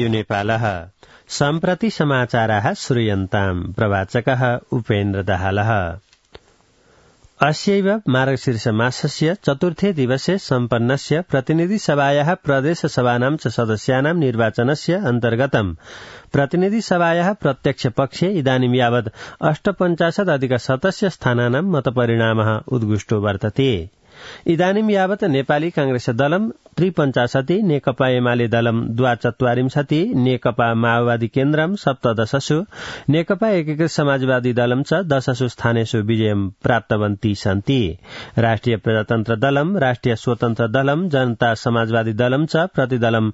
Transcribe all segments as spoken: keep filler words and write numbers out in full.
नेपालः सम्प्रति समाचाराः श्रूयन्ताम्। प्रवाचकः उपेन्द्र दाहालः। अस्यैव मार्गशीर्ष मासस्य चतुर्थे दिवसे सम्पन्नस्य प्रतिनिधि सभायाः प्रदेश सभानां च सदस्यानां निर्वाचनस्य अन्तर्गतम् प्रतिनिधि सभायाः प्रत्यक्ष पक्षे इदानीं यावत् अष्टपञ्चाशदधिक शतस्य स्थानानां मतपरिणामः उद्घुष्टो वर्तते। इदानीं यावत् नेपाली कांग्रेस दलम् त्रिपञ्चाशति, नेकपा एमाले दलम् द्वाचत्वारिंशति, नेकपा माओवादी केन्द्रम् सप्तदशसु, नेकपा एकीकृत समाजवादी दलम् च दशसु स्थानेषु विजयं प्राप्तवन्ती सन्ति। राष्ट्रिय प्रजातन्त्र दलम्, राष्ट्रिय स्वतन्त्र दलम्, जनता समाजवादी दलम् च प्रतिदलम्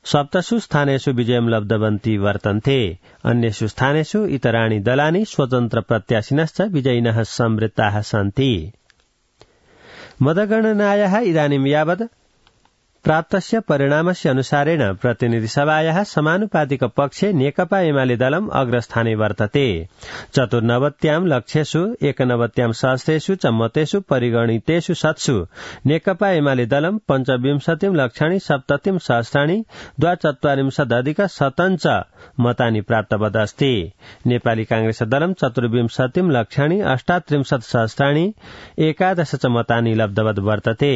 सप्तसु स्थानेषु विजयं लब्धवन्ती वर्तन्ते। अन्येषु स्थानेषु इतराणि दलानि स्वतन्त्र प्रत्याशिनश्च विजयिनः संवृत्ताः सन्ति। मतगणनायाः इदानीं यावत् प्राप्तस्य परिणामस्य अनुसारेण प्रतिनिधि सभायाः समानुपातिक पक्षे नेकपा एमाले दलम् अग्रस्थाने वर्तते। चतुर्नवत्यां लक्षेषु एकनवत्यां सहस्रेषु च मतेषु परिगणितेषु शतसु नेकपा एमाले दलम् पञ्चविंशतिं लक्षाणि सप्ततिं सहस्राणि द्वाचत्वारिंशदधिक शतञ्च मतानि प्राप्तवदस्ति। नेपाली कांग्रेस दलम् चतुर्विंशतिं लक्षाणि अष्टात्रिंशत् सहस्राणि एकादश च मतानि लब्धवद् वर्तते।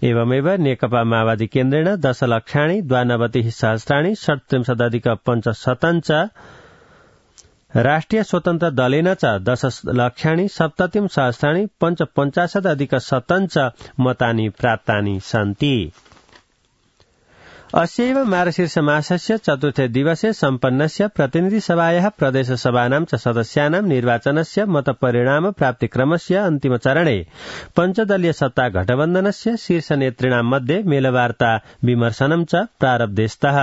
एवमेव नेकपा माओवादी केन्द्रेण दश लक्षाणि द्वानवतिः सहस्राणि षट्त्रिंशदधिक पञ्चशतञ्च, राष्ट्रिय स्वतन्त्र दलेन च दश लक्षाणि सप्ततिं सहस्राणि पञ्चपञ्चाशदधिक शतञ्च मतानि प्राप्तानि सन्ति। अस्यैव मार्गशीर्ष मासस्य चतुर्थे दिवसे सम्पन्नस्य प्रतिनिधि सभायाः प्रदेश सभानां च सदस्यानां निर्वाचनस्य मतपरिणाम प्राप्तिक्रमस्य अन्तिम चरणे पञ्चदलीय सत्ता गठबन्धनस्य शीर्ष नेतृणां मध्ये मेलवार्ता विमर्शनं च प्रारब्धेस्तः।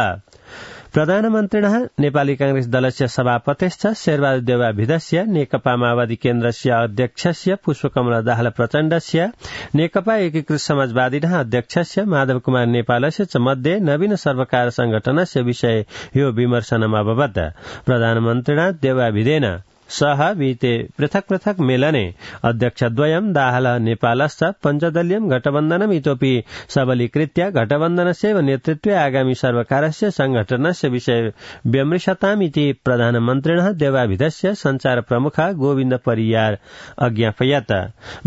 प्रधानमन्त्रिणः नेपाली कांग्रेस दलस्य सभापतिश्च शेरबहादुर देउवाभिधस्य, नेकपा माओवादी केन्द्रस्य अध्यक्षस्य पुष्पकमल दाहाल प्रचण्डस्य, नेकपा एकीकृत समाजवादिनः अध्यक्षस्य माधव कुमार नेपालस्य च मध्ये नवीन सर्वकार संगठनस्य विषये यो विमर्शनम् अभवत्। प्रधानमन्त्रिणा देउवाभिधेन सह विहिते पृथक् पृथक् मेलने अध्यक्षद्वयं दाहाल नेपालश्च पञ्चदलीयं गठबन्धनम् इतोपि सबलीकृत्य गठबन्धनस्यैव नेतृत्वे आगामी सर्वकारस्य संगठनस्य विषये व्यमृशताम् इति प्रधानमन्त्रिणः देउवाभिधस्य संचार प्रमुख गोविन्द परियार अज्ञापयत्।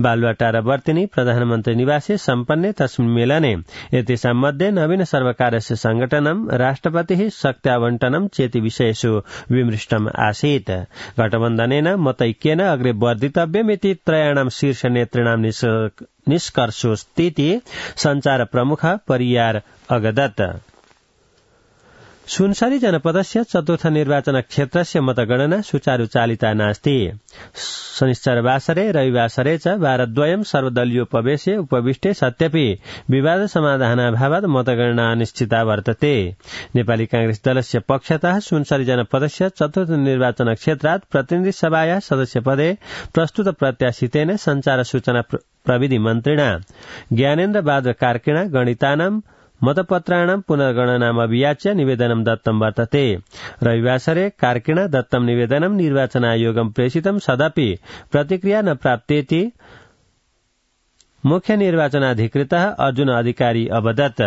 बालुवाटारवर्तिनी प्रधानमन्त्री निवासे सम्पन्ने तस्मिन् मेलने एतेषां मध्ये नवीन सर्वकारस्य संगठनं, राष्ट्रपतिः शक्त्यावण्टनं चेति विषयेषु विमृष्टम् आसीत्। गठबन्धनेन मतैक्येन अग्रे वर्धितव्यमिति त्रयाणां शीर्ष नेतृणां निष्कर्षोऽस्तीति संचार प्रमुख परियार अगदत्। सुनसरी जनपदस्य चतुर्थ निर्वाचन क्षेत्रस्य मतगणना सुचारुचालिता नास्ति। शनिश्चरवासरे रविवासरे च वारद्वयं सर्वदलीयोपवेशे उपविष्टे सत्यपि विवाद समाधानाभावात् मतगणना अनिश्चिता वर्तते। नेपाली कांग्रेस दलस्य पक्षतः सुनसरी जनपदस्य चतुर्थ निर्वाचन क्षेत्रात् प्रतिनिधि सभायाः सदस्यपदे प्रस्तुत प्रत्याशितेन संचार सूचना प्रविधि मन्त्रिणा ज्ञानेन्द्र बहादुर कार्कीणा गणितानां मतपत्राणां पुनर्गणनाम् अभियाच्य निवेदनं दत्तं वर्तते। रविवासरे कार्कीणा दत्तं निवेदनं निर्वाचन आयोगं प्रेषितं सदपि प्रतिक्रिया न प्राप्तेति मुख्य निर्वाचनाधिकृतः अर्जुन अधिकारी अवदत्।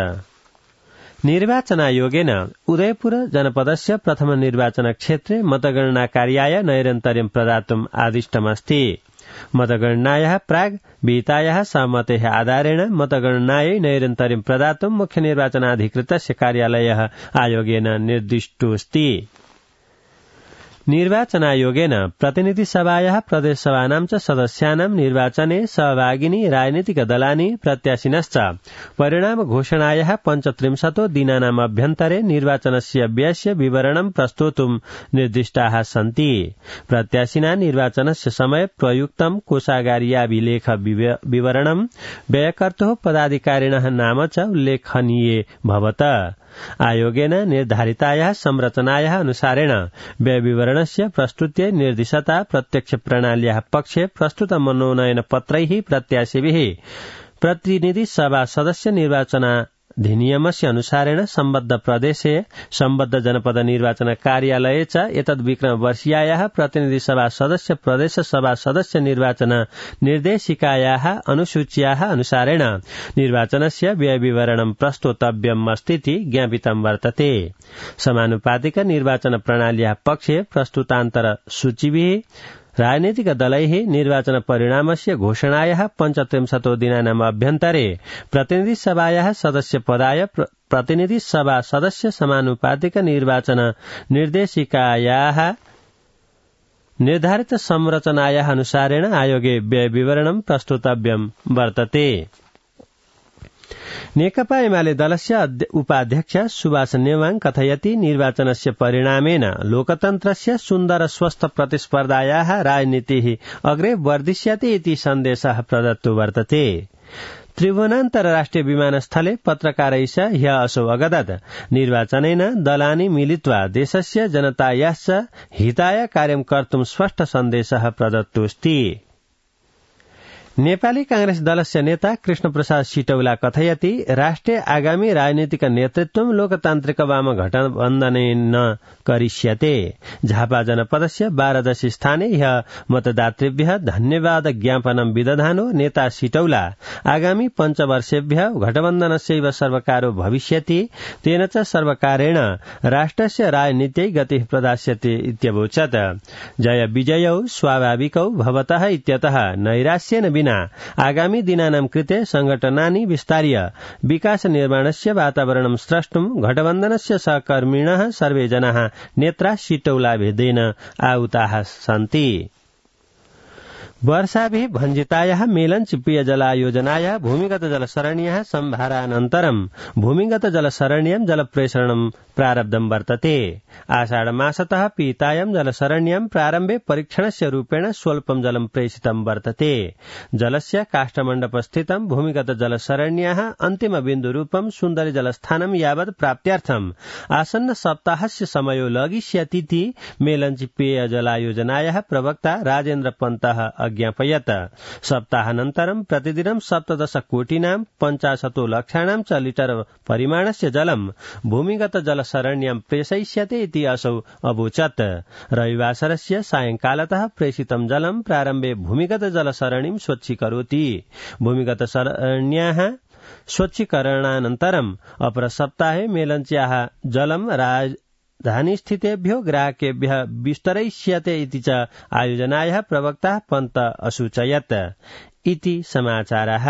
निर्वाचन आयोगेन उदयपुर जनपदस्य प्रथम निर्वाचन क्षेत्रे मतगणना कार्याय नैरन्तर्यं प्रदातुम् आदिष्टमस्ति। मतगणनायाः प्राग् विहितायाः सहमतेः आधारेण मतगणनायै नैरन्तर्यं प्रदातुं मुख्य निर्वाचनाधिकृतस्य कार्यालयः आयोगेन निर्दिष्टोऽस्ति। निर्वाचनायोगेन प्रतिनिधि सभायाः प्रदेश सभानां च सदस्यानां निर्वाचने सहभागिनी राजनीतिक दलानि प्रत्याशिनश्च परिणाम घोषणायाः पञ्चत्रिंशतो दिनानाम् अभ्यन्तरे निर्वाचनस्य व्ययस्य विवरणं प्रस्तोतुं निर्दिष्टाः सन्ति। प्रत्याशिना निर्वाचनस्य समय प्रयुक्तं कोषागारीयाभिलेख विवरणं व्ययकर्तुः पदाधिकारिणः नाम च उल्लेखनीये भवत। आयोगेन निर्धारितायाः संरचनायाः अनुसारेण व्यय विवरणस्य प्रस्तुत्यै निर्दिशता प्रत्यक्ष प्रणाल्याः पक्षे प्रस्तुत मनोनयन पत्रैः प्रत्याशिभिः प्रतिनिधि सभा सदस्य निर्वाचन अधिनियमस्य अनुसारेण सम्बद्ध प्रदेशे सम्बद्ध जनपद निर्वाचन कार्यालये च एतद् विक्रम वर्षीयायाः प्रतिनिधि सभा सदस्य प्रदेश सभा सदस्य निर्वाचन निर्देशिकायाः अनुसूच्याः अनुसारेण निर्वाचनस्य व्यय विवरणं प्रस्तोतव्यम् अस्तीति ज्ञापितं वर्तते। समानुपातिक निर्वाचन प्रणाल्याः पक्षे प्रस्तुतान्तर सूचिभिः राजनीतिक दलैः निर्वाचन परिणामस्य घोषणायाः पञ्चत्रिंशतो दिनानाम् अभ्यन्तरे प्रतिनिधि सभायाः सदस्य पदाय प्रतिनिधि सभा सदस्य समानुपातिक निर्वाचन निर्देशिकायाः निर्धारित संरचनायाः अनुसारेण आयोगे व्यय विवरणं प्रस्तुतव्यं वर्तते। नेकपा एमाले दलस्य उपाध्यक्ष सुभाष नेवाङ कथयति निर्वाचनस्य परिणामेन लोकतन्त्रस्य सुन्दर स्वस्थ प्रतिस्पर्धायाः राजनीतिः अग्रे वर्धिष्यति इति सन्देशः प्रदत्तो वर्तते। त्रिभुवनान्तरराष्ट्रिय विमानस्थले पत्रकारैः ह्यः असौ अगदत् निर्वाचनेन दलानि मिलित्वा देशस्य जनतायाश्च हिताय कार्यं कर्तुं स्पष्ट सन्देशः प्रदत्तोऽस्ति। नेपाली कांग्रेस दलस्य नेता कृष्ण प्रसाद सिटौला कथयति राष्ट्रिय आगामी राजनीतिक नेतृत्वं लोकतान्त्रिक वाम गठबन्धनेन करिष्यते। झापा जनपदस्य बाह्रदश स्थाने ह्यः मतदातृभ्यः धन्यवाद ज्ञापनं विदधानो नेता सिटौला आगामी पञ्चवर्षेभ्यः गठबन्धनस्यैव सर्वकारो भविष्यति, तेन च सर्वकारेण राष्ट्रस्य राजनीत्यै गतिः प्रदास्यते इत्यवोचत्। जय विजयौ स्वाभाविकौ भवतः इत्यतः नैराश्येन विना आगामी दिनानां कृते संघटनानि विस्तार्य विकास निर्माणस्य वातावरणं स्रष्टुं गठबन्धनस्य सहकर्मिणः सर्वे जनाः नेत्रा सिटौलाभेदेन आहुताः सन्ति। वर्षाभिः भञ्जितायाः मेलञ्च पेयजलायोजनायाः भूमिगत जलसरण्याः सम्भारानन्तरं भूमिगत जलसरण्यां जलप्रेषणं प्रारब्धं वर्तते। आषाढमासतः पीतायां जलसरण्यां प्रारम्भे परीक्षणस्य रूपेण स्वल्पं जलं प्रेषितं वर्तते। जलस्य काष्ठमण्डपस्थितं भूमिगत जलसरण्याः अन्तिम बिन्दुरूपं सुन्दरी जलस्थानं यावत् प्राप्त्यार्थम् आसन्न सप्ताहस्य समयो लगिष्यतीति मेलञ्च पेयजलायोजनायाः प्रवक्ता राजेन्द्र पन्तः ज्ञापयत्। सप्ताहानन्तरं प्रतिदिनं सप्तदश कोटिनां पञ्चाशतो लक्षाणां च लिटर परिमाणस्य जलं भूमिगत जलसरण्यां प्रेषयिष्यते इति असौ अवोचत्। रविवासरस्य सायंकालतः प्रेषितं जलं प्रारम्भे भूमिगत जलसरणिं स्वच्छीकरोति। भूमिगत सरण्याः स्वच्छीकरणानन्तरम् अपरसप्ताहे मेलञ्च्याः जलं राज धानीस्थितेभ्यो ग्राहकेभ्यः विस्तरयिष्यते इति च आयोजनायाः प्रवक्ता पन्त असूचयत्। इति समाचारः।